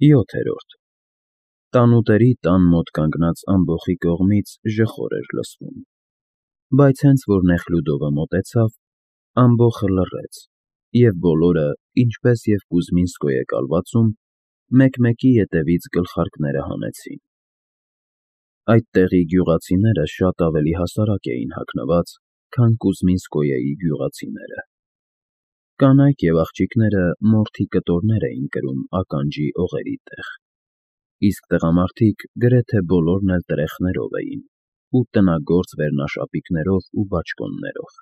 7-րդ Տանուտերի տան մոտ կանգնած ամբոխի կողմից ժխոր էր լսվում, բայց հենց որ Նեխլյուդովը մոտեցավ, ամբոխը լռեց, և բոլորը, ինչպես և Կուզմինսկոյե կալվածում, մեկ-մեկի ետևից գլխարկները հանեցին։ Այդ տեղի գյուղացիները շատ ավելի հասարակ էին հագնված, քան Կուզմինսկոյեի գյուղացիները։ Կանայք և աղջիկները մորթի կտորներ էին կրում ականջի օղերի տեղ, իսկ տղամարդիկ գրեթե բոլորն էլ տրեխներով էին ու տնագործ վերնաշապիկներով ու բաճկոններով։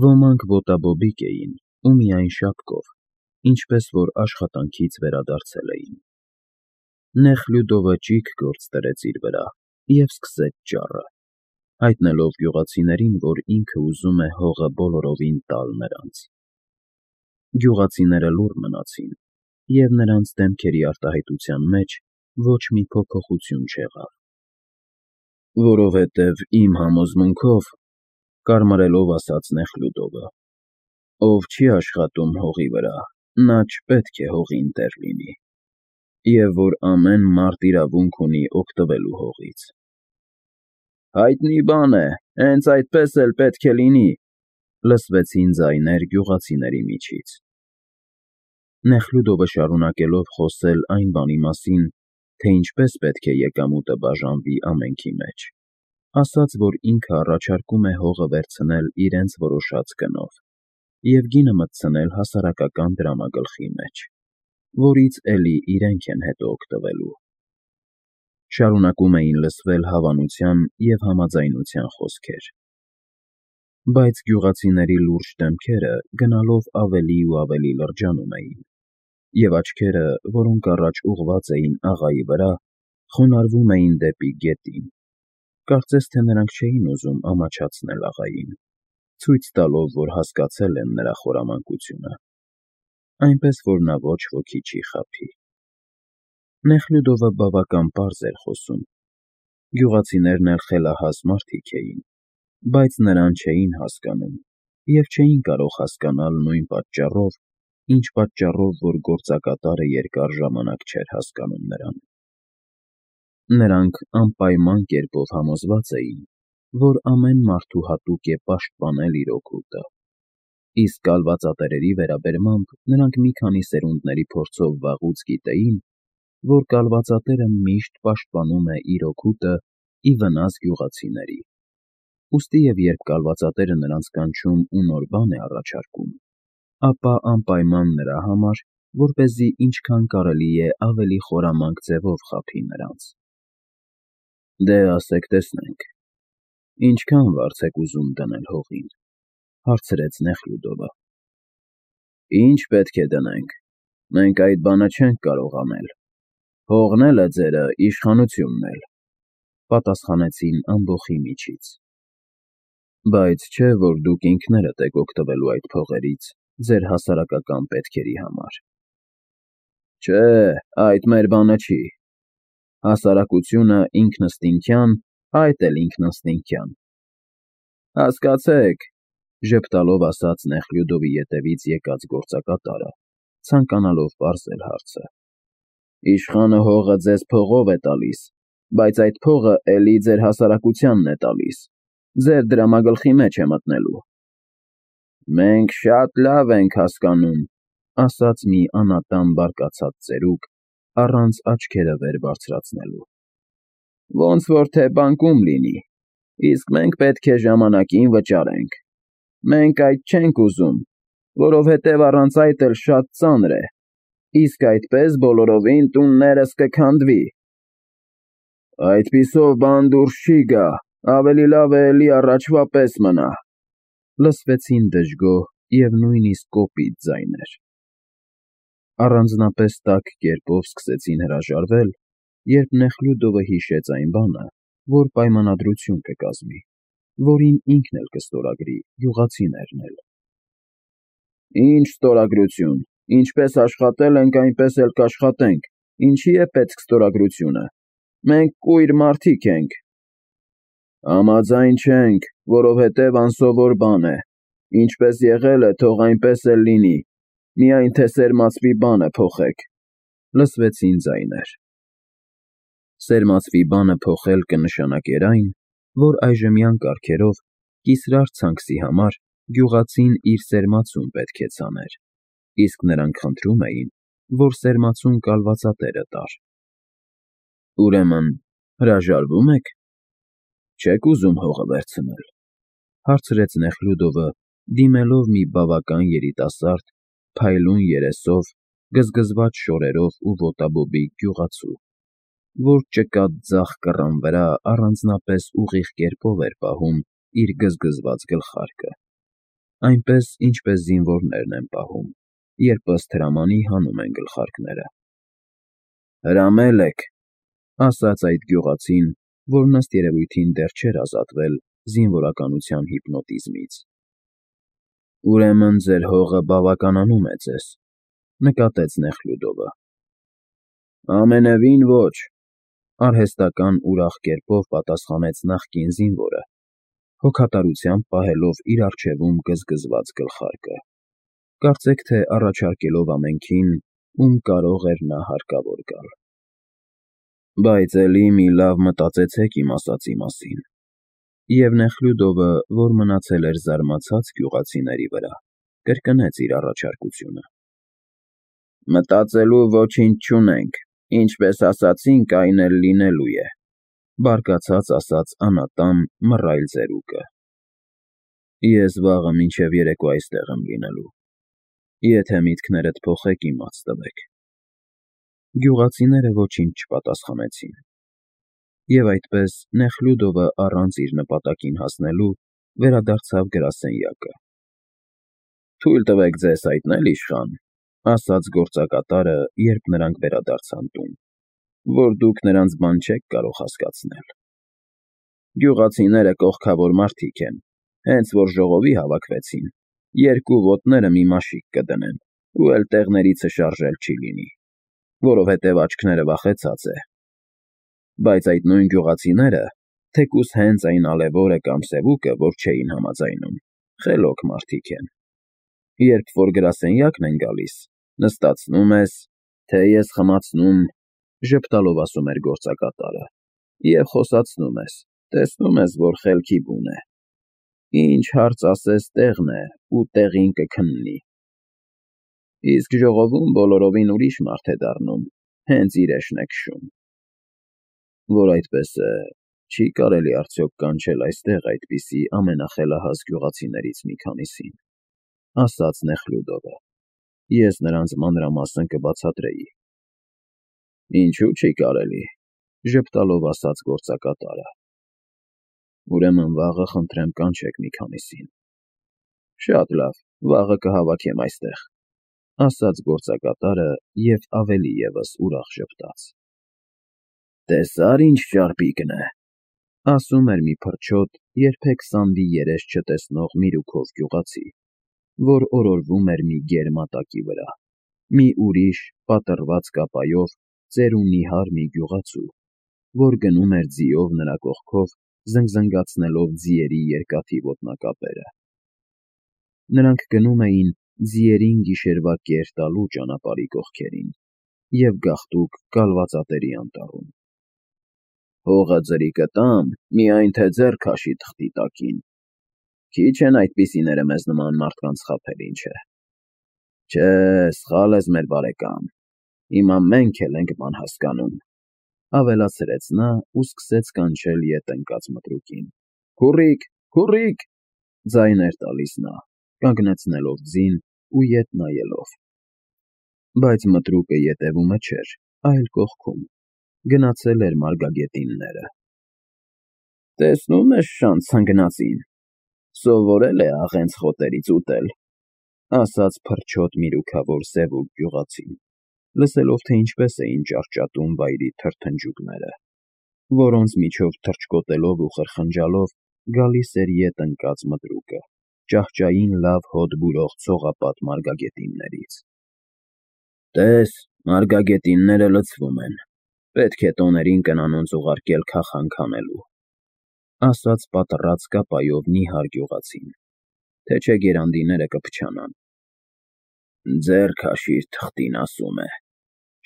Ոմանք ոտաբոբիկ էին ու միայն շապկով, ինչպես որ աշխատանքից վերադարձել էին։ Նեխլյուդովը ճիգ գործ դրեց իր վրա և սկսեց ճառը, հայտնելով գյուղացիներին, որ ինքը ուզում է հողը բոլորովին տալ նրանց։ Գյուղացիները լուռ մնացին, և նրանց դեմքերի արտահայտության մեջ ոչ մի փոփոխություն չեղավ։ «Որովհետև իմ համոզմունքով, ֊ կարմարելով ասաց Նեխլյուդովը, ֊ ով չի աշխատում հողի վրա, նա չպետք է հողին տեր լինի, և որ ամեն մարդ իրավունք ունի օգտվելու հողից»։ «Հայտնի բան է, հենց այդպես էլ պետք է լինի», ֊ լսվեցին ձայներ գյուղացիների միջից։ Նեխլյուդովը շարունակելով խոսել այն բանի մասին, թե ինչպես պետք է եկամուտը բաժանվի ամենքի մեջ, ասաց, որ ինքը առաջարկում է հողը վերցնել իրենց որոշած գնով և գինը մտցնել հասարակական դրամագլխի մեջ, որից էլի իրենք են հետո օգտվելու։ Շարունակում էին լսվել հավանության և համաձայնության խոսքեր, բայց գյուղացիների լուրջ դեմքերը գնալով ավելի ու ավելի լրջանում էին, և աչքերը, որոնք առաջ ուղղված էին աղայի վրա, խոնարհվում էին դեպի գետին, կարծես թե նրանք չէին ուզում ամաչացնել աղային, ցույց տալով, որ հասկացել են նրա խորամանկությունը, այնպես որ նա ոչ ոքի չի խաբի։ Նեխլյուդովը բավական պարզ էր խոսում, գյուղացիներն էլ խելահաս մարդիկ էին, բայց նրան չէին հասկանում և չէին կարող հասկանալ նույն պատճառով, ինչ պատճառով, որ գործակատարը երկար ժամանակ չէր հասկանում նրան։ Նրանք անպայման կերպով համոզված էին, որ ամեն մարդու հատուկ է պաշտպանել իր օգուտը, իսկ կալվածատերերի վերաբերմամբ նրանք մի քանի սերունդների փորձով վաղուց գիտեին, որ կալվածատերը միշտ պաշտպանում է իր օգուտը ի վնաս գյուղացիների, ուստի և երբ կալվածատերը նրանց կանչում ու նոր բան է առաջարկում, ապա անպայման նրա համար, որպեսզի ինչքան կարելի է ավելի խորամանկ ձևով խաբի նրանց։ «Դե ասեք տեսնենք, ինչքան վարձ եք ուզում դնել հողին», ֊ հարցրեց Նեխլյուդովը։ «Ինչ պետք է դնենք, մենք այդ բանը չենք կարող անել, հողն էլ է ձերը, իշխանությունն էլ», ֊ պատասխանեցին ամբոխի միջից։ «Բայց չէ՞ որ դուք ինքներդ եք օգտվելու այդ փողերից ձեր հասարակական պետքերի համար»։ «Չէ, այդ մեր բանը չի։ Հասարակությունը ինքնըստինքյան, այդ էլ ինքնըստինքյան»։ «Հասկացեք», ֊ ժպտալով ասաց Նեխլյուդովի ետևից եկած գործակատարը, ցանկանալով պարզել հարցը, «իշխանը հողը ձեզ փողով է տալիս, բայց այդ փողը էլի ձեր հասարակությանն է տալիս, ձեր դրամագլխի մեջ է մտնելու»։ «Մենք շատ լավ ենք հասկանում», ֊ ասաց մի անատամ բարկացած ծերուկ, առանց աչքերը վեր բարձրացնելու։ «Ոնց որ թե բանկում լինի, իսկ մենք պետք է ժամանակին վճարենք։ Մենք այդ չենք ուզում, որովհետև առանց այդ էլ շատ ծանր է, իսկ այդպես բոլորովին տուններս կքանդվի»։ «Այդպիսով բան դուրս չի գա, ավելի լավ է էլի առաջվա պես մնա», ֊ լսվեցին դժգոհ և նույնիսկ կոպիտ ձայներ։ Առանձնապես տաք կերպով սկսեցին հրաժարվել, երբ Նեխլյուդովը հիշեց այն բանը, որ պայմանադրություն կկազմի, որին ինքն էլ կստորագրի, գյուղացիներն էլ։ «Ինչ ստորագրություն, ինչպես աշխատել ենք, այնպես էլ կաշխատենք, ինչի է պետք ստորագրությունը, մենք կույր մարդիկ ենք»։ «Համաձայն չենք, որովհետև անսովոր բան է, ինչպես եղել է, թող այնպես էլ լինի, միայն թե սերմացվի բանը փոխեք», Լսվեցին ձայներ։ Սերմացվի բանը փոխել կնշանակեր այն, որ այժմյան կարգերով կիսրար ցանքսի համար գյուղացին իր սերմացուն պետք է ցաներ, իսկ նրանք խնդրում էին, որ սերմացուն կալվածատերը տար։ Ուրեմն հրաժարվո՞ւմ եք։ Չեք ուզում հողը վերցնել, հարցրեց Նեխլյուդովը, դիմելով մի բավական երիտասարդ, փայլուն երեսով, գզգզված շորերով ու ոտաբոբիկ գյուղացու, որ ճկատ ձախ կռան վրա առանձնապես ուղիղ կերպով էր պահում իր գզգզված գլխարկը, այնպես, ինչպես զինվորներն են պահում, երբ ըստ հրամանի հանում են գլխարկները։ Հրամել եք, ասաց այդ գյուղացին, որն ըստ երևույթին դեռ չէր ազատվել զինվորականության հիպնոտիզմից։ Ուրեմն ձեր հողը բավականանում է ձեզ, նկատեց Նեխլյուդովը։ Ամենևին ոչ, արհեստական ուրախ կերպով պատասխանեց նախկին զինվորը, հոգատարությամբ պահելով իր առջևում գզգզված գլխարկը, կարծեք թե առաջարկելով ամենքին, ում կարող էր նա հարկավոր գալ։ Բայց էլի մի լավ մտածեցեք իմ ասածի մասին։ Եվ Նեխլյուդովը, որ մնացել էր զարմացած գյուղացիների վրա, կրկնեց իր առաջարկությունը։ Մտածելու ոչինչ չունենք, ինչպես ասացինք, այն էլ լինելու է, բարկացած ասաց անատամ մռայլ ծերուկը։ Ես վաղը մինչև երեկո այստեղ եմ լինելու, եթե միտքներդ փոխեք, իմաց տվեք։ Գյուղացիները ոչինչ չպատասխանեցին։ Եվ այդպես Նեխլյուդովը առանց իր նպատակին հասնելու վերադարձավ գրասենյակը։ Թույլ տվեք ձեզ հայտնել, իշխան, ասաց գործակատարը, երբ նրանք վերադարձան տուն, որ դուք նրանց բան չեք կարող հասկացնել։ Գյուղացիները կողքավոր մարդիկ են, հենց որ ժողովի հավաքվեցին, երկու ոտները մի մաշիկ կդնեն, ու էլ տեղներիցը շարժել չի լինի, որովհետև աչքները վախեցած է։ Բայց այդ նույն գյուղացիները, թեկուզ հենց այն ալևորը կամ սևուկը, որ չէին համաձայնում, խելոք մարդիկ են։ Երբ որ գրասենյակն են գալիս, նստացնում ես, թե ես խմացնում, ժպտալով ասում էր գործակատարը, և խոսացնում ես, տեսնում ես, որ խելքի բուն է։ Ինչ հարց ասես տեղն է, ու տեղին կքննի։ Իսկ ժողովում բոլորովին ուրիշ մարդ է դառնում, հենց իրեշն է քշում։ Որ այդպես է, չի կարելի արդյոք կանչել այստեղ այդպիսի ամենախելահաս գյուղացիներից մի քանիսին, ասաց Նեխլյուդովը։ Ես նրանց մանրամասն կբացատրեի։ Ինչու չի կարելի, ժպտալով ասաց գործակատարը։ Ուրեմն վաղը խնդրեմ կանչեք մի քանիսին։ Շատ լավ, վաղը կհավաքեմ այստեղ, ասաց գործակատարը և ավելի ևս ուրախ ժպտաց։ Տեսա՞ր ինչ ճարպիկն է, ասում էր մի փրչոտ, երբեք սանդի երես չտեսնող Միրուքով գյուղացի, որ օրորվում էր մի գերմատակի վրա, մի ուրիշ, պատռված կապայով, ծերունի մի գյուղացու, որ գնում էր ձիով նրա կողքով, զնգզնգացնելով ձիերի երկաթի ոտնակապերը։ Նրանք գնում էին ձիերին գիշերվա կեր տալու ճանապարհի կողքերին և գաղտուկ կալվածատերի անտառում։ Հողը ձրի կտամ, միայն թե ձեռ քաշի թղթի տակին։ Քիչ են այդպիսիները մեզ նման մարդկանց խաբել, ինչ է։ Չէ, սխալ ես, մեր բարեկամ, հիմա մենք էլ ենք բան հասկանում, ավելացրեց նա ու սկսեց կանչել ետ ընկած մտրուկին։ Քուռիկ, քուռիկ, ձայն էր տալիս նա, կանգնեցնելով ձին ու ետ նայելով։ Բայց մտրուկը ետևումը չէր, այլ կողքում, գնացել էր մարգագետինները։ Տեսնում ես շան ցնգնածին, սովորել է աղենց խոտերից ուտել, ասաց փրչոտ միրուքավոր սևուկ գյուղացին, լսելով, թե ինչպես էին ճարճատում վայրի թրթնջուկները, որոնց միջով թռչկոտելով ու խրխնջալով գալիս էր ետ ընկած մտրուկը, ճահճային լավ հոտ բուրող ցողապատ մարգագետիններից։ Տես, մարգագետինները լցվում են, պետք է տոներին կնանոնց ուղարկել քախանք հանելու, ասաց պատռած կապայով նիհար գյուղացին, թե չէ գերանդիները կփչանան։ Ձեռ քաշիր թղթին, ասում է,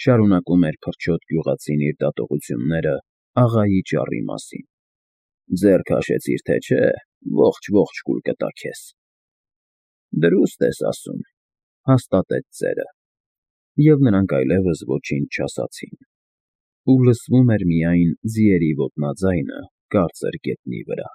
Շարունակում էր փրչոտ գյուղացին իր դատողությունները աղայի ճառի մասին։ Ձեռ քաշեցիր, թե չէ, ողջ կուլ կտա քեզ։ Դրուստ ես ասում, հաստատեց ծերը, և նրանք այլևս ոչինչ չասացին, ու լսվում էր միայն ձիերի ոտնաձայնը կարծր գետնի վրա։